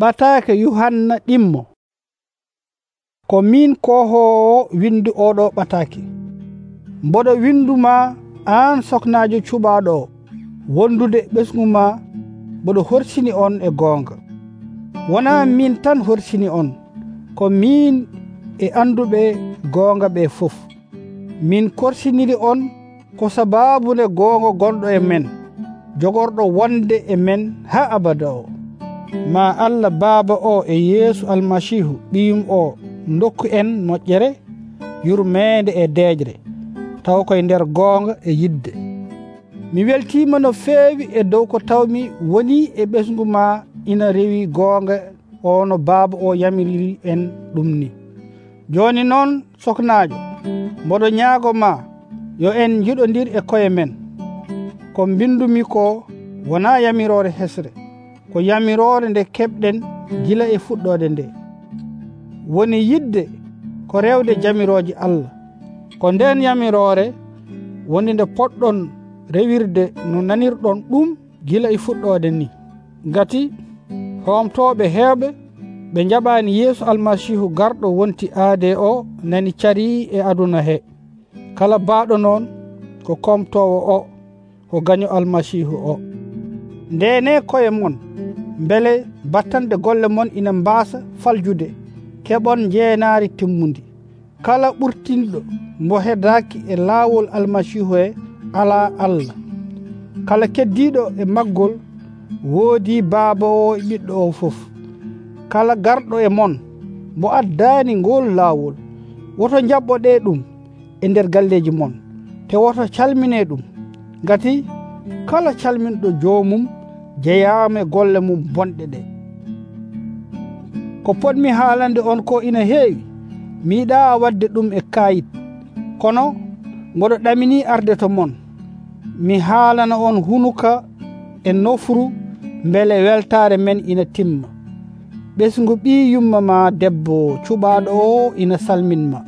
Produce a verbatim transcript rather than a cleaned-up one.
Ɓataake Yuhanna ɗimmo. Ko min kohoowo windu oɗo ɓataake. Mboɗo winduma aan soknaajo cuɓaaɗo o, wondude ɓesgu ma mboɗo horsini on e goonga. Wonaa min tan horsini on, ko min e anduɓe goonga ɓe fof. Min korsiniri on ko sabaabunde goonga gonɗo e men, jogorɗo wonde e men haa abada o. Ma Allah Baaba o e Yeesu Almasiihu ɓiyum o dokku en moƴƴere, yurmeende e deejre, taw koye nder goonga e yidde. Mi weltiima no feewi e dow ko tawmi woni e ɓesgu ma ina rewi goonga o no Baaba o yamiriri en ɗum ni. Jooni noon soknaajo, mboɗo ñaago ma yo en njiɗondir e koye men. Ko mbindumi ko wonaa yamiroore hesre, ko yamiroore nde keɓɗen gila e fuɗɗoode nde. Woni yidde ko rewde jamirooji Allah, ko nden yamiroore woni nde poɗɗon rewirde no nanirɗon ɗum gila e fuɗɗoode ni. Ngati hoomtooɓe heewɓe ɓe njaɓaani Yeesu Almasiihu garɗo wonti aade o nani carii e aduna he. Kala baaɗo noon ko komtoowo o, ko gaño Almasiihu o. Ndeene koye mon, mbele battande golle mon ina mbaasa faljude, keɓon jeenaari timmundi. Kala ɓurtinɗo mbo hedaaki e laawol Almasiihu he alaa Allah. Kala keddiiɗo e maggol woodii Baaba o e Ɓiɗɗo o fof. Kala garɗo e mon mbo addaani ngol laawol, woto jaɓɓoɗee ɗum e nder galleeji mon, te woto calminee ɗum, ngati kala calminɗo joomum jeyaama e golle mum bonɗe ɗe. Ko potmi haalande on ko ina heewi, mi yiɗaa waɗde ɗum e kaayit, kono mboɗo ɗaminii arde to mon. Mi haalana on hunuka e nofru mbele weltaare men ina timma. Ɓesngu ɓii yumma ma debbo cuɓaaɗo o ina salminma.